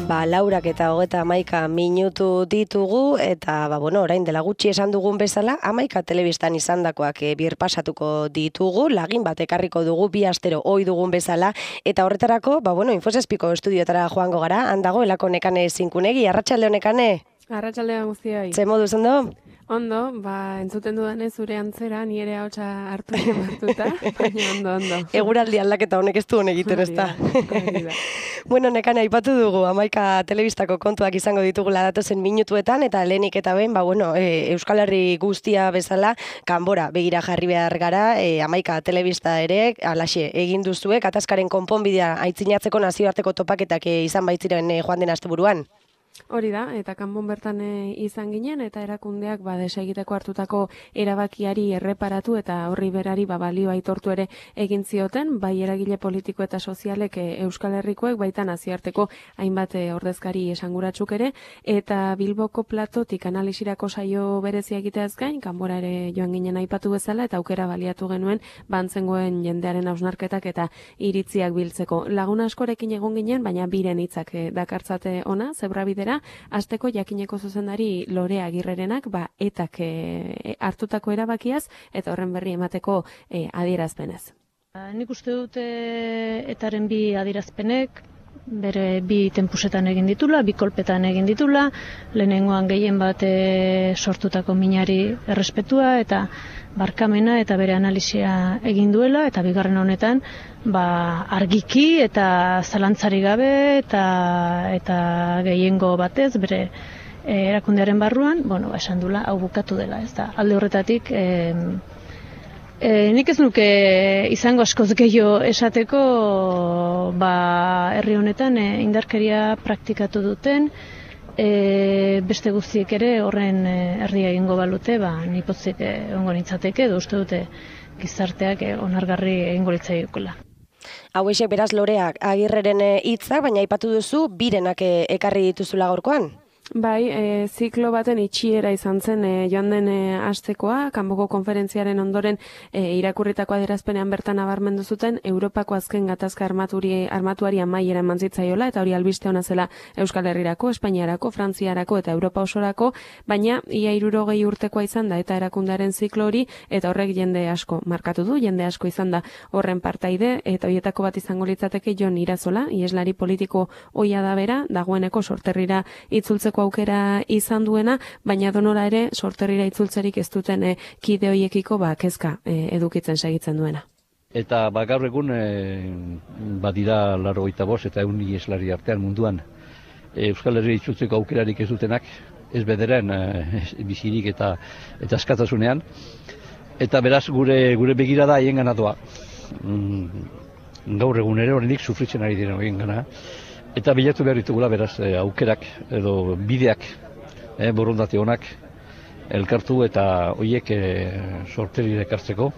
Laurak eta 31 minutu ditugu, eta orain dela gutxi esan dugun bezala, 11 telebistan izandakoak birpasatuko ditugu, lagin bat ekarriko dugu bi astero ohi dugun bezala, eta horretarako, Infosespiko estudioetara joango gara, handago elako Nekane Zinkunegi, arratsalde Nekane? Arratsaldean guztioi. Ze moduz ondo? Ondo, entzuten dudanez zure antzera, ni ere ahotsa hartu martuta, baina ondo. Eguraldi aldaketa honek ez du hon egiten, ezta? Nekane, aipatu dugu, 11 telebistako kontuak izango ditugula datozen minutuetan, eta lehenik eta behin, Euskal Herri guztia bezala, kanbora begira jarri behar gara, 11 telebista ere, alaxe, egin duzuek, gatazkaren konponbidea aitzinatzeko nazioarteko topaketak izan baitziren joan den asteburuan. Hori da, eta kanbon bertan izan ginen, eta erakundeak desegiteko hartutako erabakiari erreparatu eta horri berari balio aitortu ere egin zioten, bai eragile politiko eta sozialek Euskal Herrikoek, baita nazioarteko hainbat ordezkari esanguratsuk ere, eta Bilboko platotik analisirako saio berezia egiteaz gain, kanbora ere joan ginen aipatu bezala, eta aukera baliatu genuen bantzengoen jendearen hausnarketak eta iritziak biltzeko. Lagun askorekin egon ginen, baina biren hitzak dakartzate ona, zebrabidera, asteko jakineko zuzendari Lore Agirrerenak etak hartutako erabakiaz eta horren berri emateko adierazpenez. Nik uste dut etaren bi adierazpenek bere bi tempusetan egin ditula, bi kolpetan egin ditula, lehenengoan gehien bat sortutako minari errespetua eta barkamena eta bere analisia egin duela, eta bigarren honetan argiki eta zalantzari gabe eta gehiengo batez bere erakundearen barruan, esan duela hau bukatu dela, ez da. Alde horretatik nik ez nuke izango askoz gehiago esateko herri honetan indarkeria praktikatu duten, beste guztiek ere horren erdia egingo balute, nipotzik ongo nintzateke, edo uste dute gizarteak onargarri egingo litzaiokola. Hauexek beraz Loreak Agirreren hitzak, baina aipatu duzu birenak ekarri dituzula gaurkoan? Bai, ziklo baten itxiera izan zen joan den astekoa, kanboko konferentziaren ondoren irakurritako adierazpenean bertan nabarmendu zuten Europako azken gatazka armatuari amaiera eman zitzaiola, eta hori albiste ona zela Euskal Herrirako, Espainiarako, Frantziarako eta Europa osorako, baina ia 60 urtekoa izan da eta erakundearen ziklo hori, eta horrek jende asko markatu du, jende asko izan da horren partaide, eta horietako bat izango litzateke Jon Irazola, ieslari politiko ohia da bera, dagoeneko Sorterrira itzultzeko aukera izan duena, baina donora ere Sorterrira itzultzerik ez duten kide hoiekiko kezka edukitzen segitzen duena. Eta gaur egun badira 85 eta 100 ieslari artean munduan Euskal Herria itzultzeko aukerarik ez dutenak, ez bederen bizirik eta askatasunean, eta beraz gure begirada haiengana doa. Gaur egun ere oraindik sufritzen ari diren haiengana. Eta bilatu behar ditugula beraz aukerak edo bideak, borondate honak elkartu eta horiek Sorterrira ekartzeko.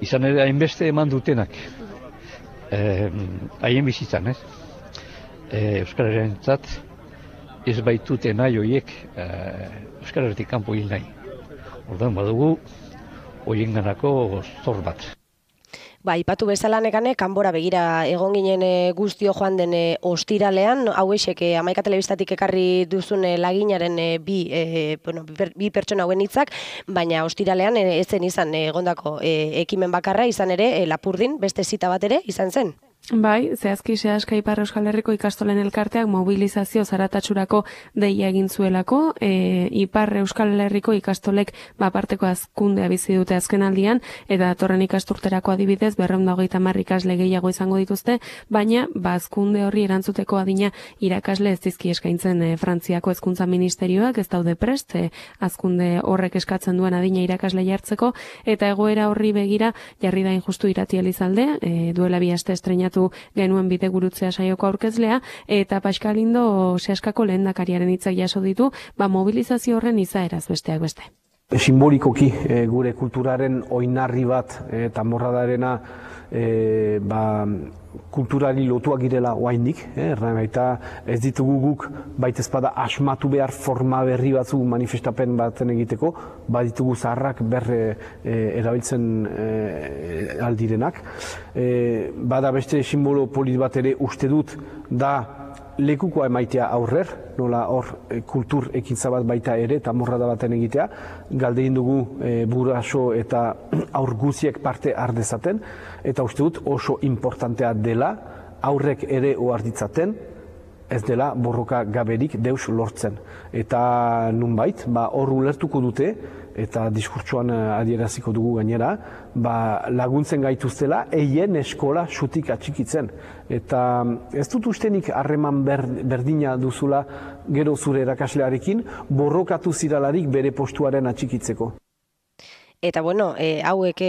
Izan ere hainbeste eman dutenak haien bizitzan, Euskal Herriarentzat ez baitute nahi horiek Euskal Herritik kanpo hil nahi. Orduan badugu horienganako zor bat. Ipatu bezala Nekane, kanbora begira egon ginen guztio joan den ostiralean, hauexek 11 telebistatik ekarri duzun laginaren bi pertsona hauen hitzak, baina ostiralean ez zen izan egondako ekimen bakarra, izan ere Lapurdin beste zita bat ere izan zen. Bai, zehazki Seaska Ipar Euskal Herriko ikastolen elkarteak mobilizazio zaratatsurako deia egin zuelako, Ipar Euskal Herriko ikastolek aparteko hazkundea bizi dute azkenaldian, eta datorren ikasturterako adibidez 230 ikasle gehiago izango dituzte, baina hazkunde horri erantzuteko adina irakasle ez dizki eskaintzen Frantziako hezkuntza ministerioak, ez daude prest, hazkunde horrek eskatzen duen adina irakasle jartzeko, eta egoera horri begira jarri da Injustu Irati Elizalde, duela 2 aste estreinatu genuen bide gurutzea saioko aurkezlea, eta Paskalindo Seaskako lehendakariaren hitzak jaso ditu, mobilizazio horren izaeraz besteak beste. Simbolikoki gure kulturaren oinarri bat tanborradarena kulturari lotuak girela oraindik, baita ez ditugu guk baitezpada asmatu behar forma berri batzu manifestapen baten egiteko, baditugu zaharrak erabiltzen aldirenak. Bada beste simbolo polit bat ere uste dut da lekukoa emaitea aurrer, nola hor kultur ekintza bat baita ere, eta morrada baten egitea, galdein dugu buraso eta aur guziek parte ardezaten, eta uste dut oso importantea dela, aurrek ere oarditzaten, ez dela borroka gaberik deus lortzen. Eta nunbait, hor ulertuko dute, eta diskurtsoan adieraziko dugu gainera, laguntzen gaituztela eien eskola xutik atxikitzen. Eta ez dut ustenik harreman berdina duzula gero zure erakaslearekin, borrokatu ziralarik bere postuaren atxikitzeko. Eta bueno, hauek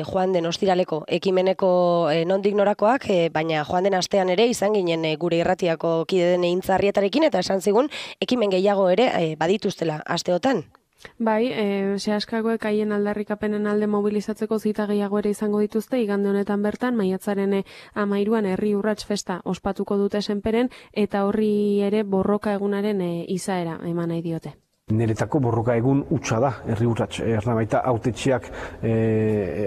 joan den ostiraleko ekimeneko nondik norakoak, baina joan den astean ere izan ginen gure irratiako kide den Intzarrietarekin, eta esan zigun ekimen gehiago ere badituztela asteotan. Bai, sehaskagoek haien aldarrikapenen alde mobilizatzeko zita gehiago ere izango dituzte, igande honetan bertan, maiatzaren 13an herri urrats festa ospatuko dute Senperen, eta horri ere borroka egunaren izaera eman nahi diote. Niretako borroka egun hutsa da, herri urrats. Baita hautetxeak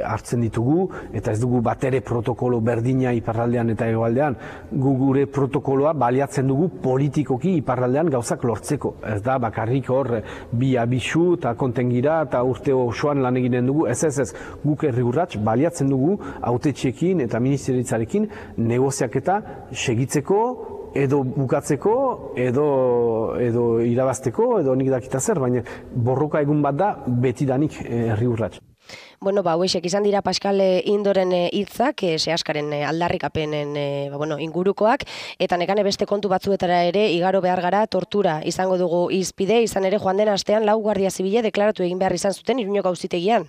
hartzen ditugu, eta ez dugu batere protokolo berdina iparraldean eta hegoaldean. Gure protokoloa baliatzen dugu politikoki iparraldean gauzak lortzeko. Ez da, bakarrik hor bi abisu eta kontengira eta urte osoan lan eginen dugu. Ez, guk herri urrats baliatzen dugu hautetxeekin eta ministeritzarekin negoziaketa segitzeko, edo bukatzeko, edo irabazteko, edo nik dakita zer, baina borroka egun bat da betidanik herri urrats. Bueno, hauexek izan dira Pascal Indoren hitzak, sehaskaren aldarrikapenen ingurukoak, eta nekane beste kontu batzuetara ere igaro behar gara, tortura izango dugu hizpide, izan ere joan den astean 4 guardia zibile deklaratu egin behar izan zuten Iruñeko auzitegian.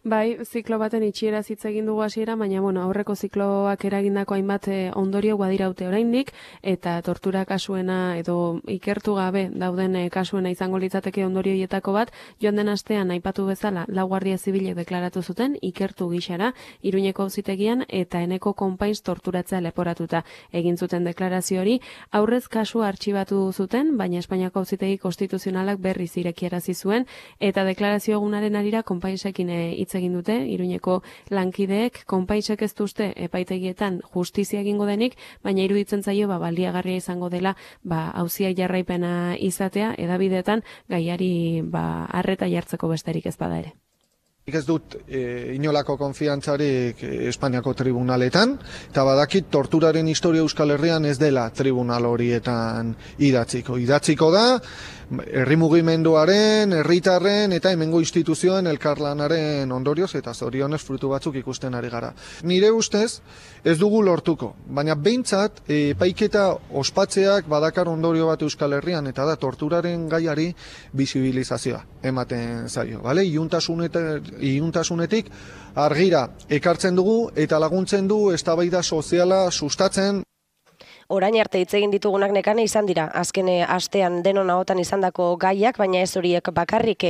Bai, ziklo baten itxiera hitz egin dugu hasiera, baina aurreko zikloak eragindako hainbat ondorio badiraute oraindik, eta tortura kasuena edo ikertu gabe dauden kasuena izango litzateke ondorioietako bat, joan den astean aipatu bezala 4 guardia zibilek deklaratu zuten ikertu gixara Iruñeko auzitegian, eta Eneko Konpains torturatzea leporatuta egin zuten deklarazio hori. Aurrez kasua artxibatu zuten, baina Espainiako auzitegi konstituzionalak berriz irekiarazi zuen, eta deklarazio egunaren arira Konpainsekin hitz egin dute, Iruñeko lankideek. Konpaisek ez duzte epaitegietan justizia egingo denik, baina iruditzen zaio baliagarria izango dela auzia jarraipena izatea, edabideetan gaiari arreta jartzeko besterik ez bada ere. Ez dut inolako konfiantzarik Espainiako tribunaletan, eta badakit torturaren historia Euskal Herrian ez dela tribunal horietan idatziko. Idatziko da, herri mugimenduaren, herritarren eta hemengo instituzioen elkarlanaren ondorioz eta zorionez frutu batzuk ikusten ari gara. Nire ustez ez dugu lortuko, baina behintzat epaiketa ospatzeak badakar ondorio bat Euskal Herrian, eta da torturaren gaiari bisibilizazioa ematen zaio. Iluntasunetik argira ekartzen dugu eta laguntzen du eztabaida soziala sustatzen. Orain arte hitz egin ditugunak nekane izan dira, azken astean denon ahotan izandako gaiak, baina ez horiek bakarrik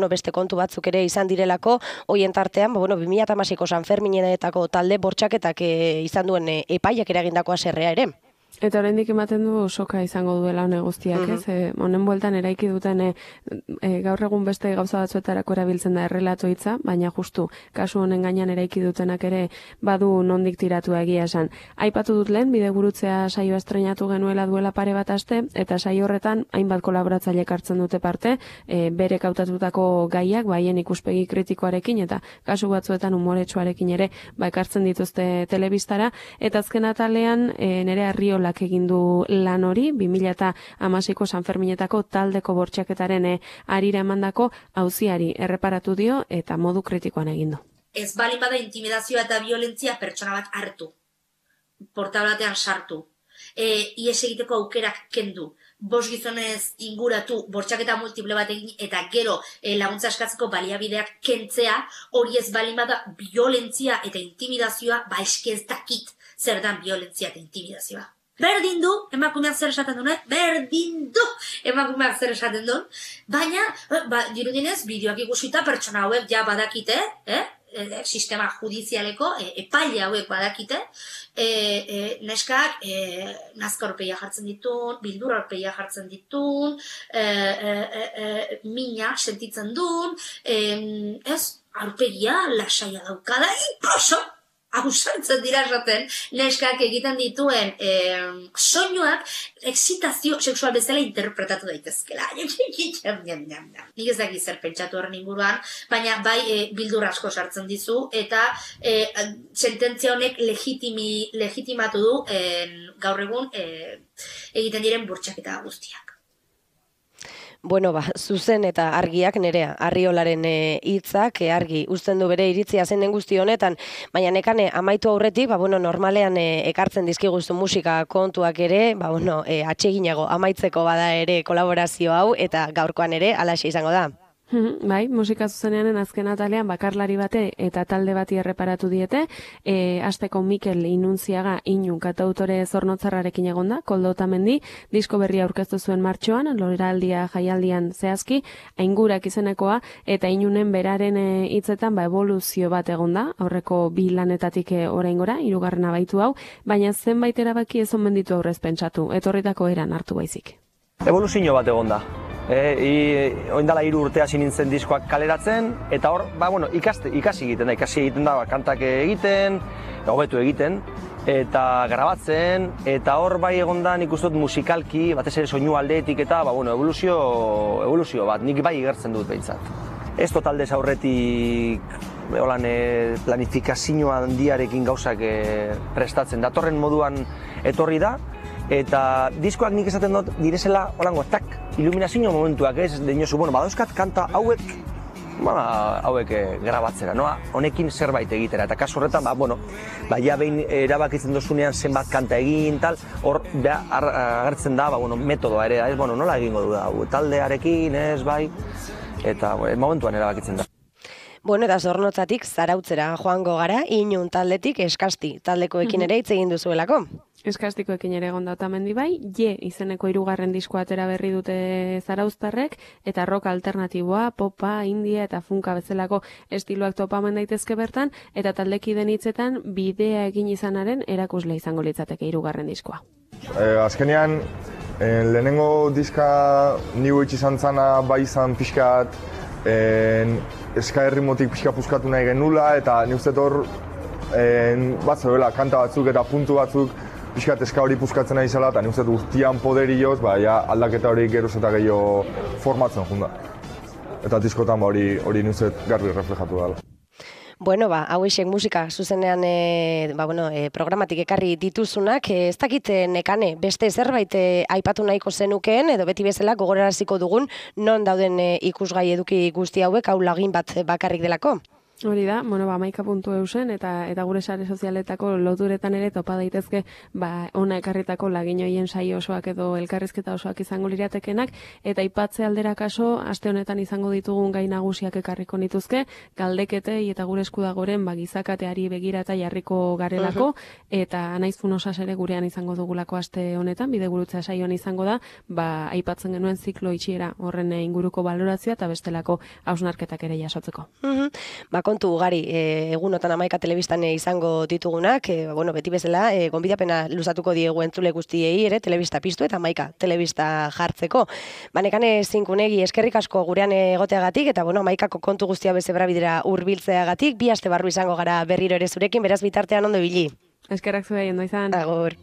beste kontu batzuk ere izan direlako, hoien tartean 2016ko Sanferminetako talde bortxaketak izan duen epaiak eragindako haserrea ere. Eta oraindik ematen du soka izango duela hone guztiak, ez? Honen bueltan eraiki duten gaur egun beste gauza batzuetarako erabiltzen da errelato hitza, baina justu kasu honen gainean eraiki dutenak ere badu nondik tiratu egia esan. Aipatu dut lehen, bidegurutzea saioa estreinatu genuela duela pare bat aste, eta saio horretan hainbat kolaboratzailek hartzen dute parte, berek hautatutako gaiak, haien ikuspegi kritikoarekin, eta kasu batzuetan umoretsuarekin ere ekartzen dituzte telebistara, eta azken atalean nere Arriolak egin du lan hori, 2016ko Sanferminetako taldeko bortxaketaren arira emandako auziari erreparatu dio eta modu kritikoan egin du. Ez bali bada intimidazioa eta violentzia pertsona bat hartu, portablatean sartu, ies egiteko aukerak kendu, 5 gizonez inguratu, bortxaketa multiple bat egin eta gero laguntza eskatzeko baliabideak kentzea, hori ez bali bada violentzia eta intimidazioa, eske ez dakit zer dan violentzia eta intimidazioa. Berdin du, emakumeak zer esaten duen, baina, dirudinez, bideoak ikusita pertsona hauek ja badakite, sistema judizialeko, epaile hauek badakite, neskak nazka horpeia jartzen ditun, bildur horpeia jartzen ditun, mina sentitzen duen, aurpegia lasaia daukada, inkluso, ausartzen dira esaten, neskak egiten dituen soinuak excitazio sexual bezala interpretatu daitezkela. Nik ez dakit zer pentsatu horren inguruan, baina bai bildur asko sartzen dizu, eta sententzia honek legitimatu du gaur egun egiten diren bortxaketa guztiak. Bueno, zuzen eta argiak Nerea, Arriolaren hitzak argi uzten du bere iritzia zen den guzti honetan, baina Nekane amaitu aurretik, normalean ekartzen dizkiguzu musika kontuak ere, atseginago amaitzeko bada ere kolaborazio hau, eta gaurkoan ere halaxe izango da. Bai, musika zuzenean azken atalean bakarlari bate eta talde bati erreparatu diete, hasteko Mikel Inuntziaga Inun kantautore zornotzarrarekin egonda, Koldo Otamendi, disko berria aurkeztu zuen martxoan, loraldia jaialdian zehazki, Aingurak izenekoa, eta Inunen beraren hitzetan evoluzio bat egonda, aurreko 2 lanetatik oraingora, 3. baitu hau, baina zenbait erabaki ez omen ditu aurrez pentsatu, etorritako eran hartu baizik. Evoluzio bat egonda. Oindala 3 urte hasi nintzen diskoak kaleratzen, eta hor, ikasi egiten da, kantak egiten, hobetu egiten, eta grabatzen, eta hor bai egonda nik uste dut musikalki, batez ere soinu aldeetik eta evoluzio bat, nik bai igertzen dut behintzat. Ez totaldez aurretik planifikazio handiarekin gauzak prestatzen, datorren moduan etorri da, eta diskoak nik esaten dut direzela holango, iluminazio momentuak, ez dinosu, badauzkat kanta hauek grabatzera, honekin zerbait egitera, eta kasu horretan, ja behin erabakitzen dozunean zenbat kanta egin, hor agertzen da, metodoa ere, nola egingo du da, taldearekin, ez, bai, eta momentuan erabakitzen da. Eta Zornotzatik Zarautzera joango gara, Inun taldetik Eskasti taldekoekin ere hitz egin duzuelako. Eskastikoekin ere egonda Otamendi bai, izeneko 3. diskoa atera berri dute zarauztarrek, eta rock alternatiboa, popa, india eta funka bezalako estiloak topamen daitezke bertan, eta taldekideen hitzetan bidea egin izanaren erakusle izango litzateke 3. diskoa. Azkenean, lehenengo diska nigu izan zana bai izan pixkat, eska errimotik pixka puskatu nahi genula, eta nik uste hor bat zegoela, kanta batzuk eta puntu batzuk pixkat eska hori puskatzen nahi zela, eta nik uste guztian poderioz, aldaketa hori geroz eta gehiago formatzen junda. Eta diskotan hori nik uste garbi reflejatu dela. Hauexek musika zuzenean programatik ekarri dituzunak, ez dakit Nekane, beste zerbait aipatu nahiko zenukeen, edo beti bezala gogoraraziko dugun, non dauden ikusgai eduki guzti hauek, hau lagin bat bakarrik delako? Hori da, 11.eu zen, eta gure sare sozialetako loturetan ere topa daitezke ona ekarritako lagin hoien saio osoak edo elkarrizketa osoak izango liratekenak, eta aipatze aldera kaso, aste honetan izango ditugun gai nagusiak ekarriko nituzke, galdeketei eta gure eskudagoren gizakateari begira eta jarriko garelako, eta naizfun osas ere gurean izango dugulako aste honetan, bidegurutza saioan izango da, aipatzen genuen ziklo itxiera horren inguruko balorazioa eta bestelako hausnarketak ere jasotzeko. Kontu ugari, egunotan 11 telebistan izango ditugunak, beti bezala, gonbidapena luzatuko diegu entzule guztiei ere, telebista piztu eta 11 telebista jartzeko. Nekane Zinkunegi eskerrik asko gurean egoteagatik, eta 11ko kontu guztia bezebra bidera hurbiltzeagatik, 2 aste barru izango gara berriro ere zurekin, beraz bitartean ondo ibili. Eskerrak zuei, ondo izan. Agur.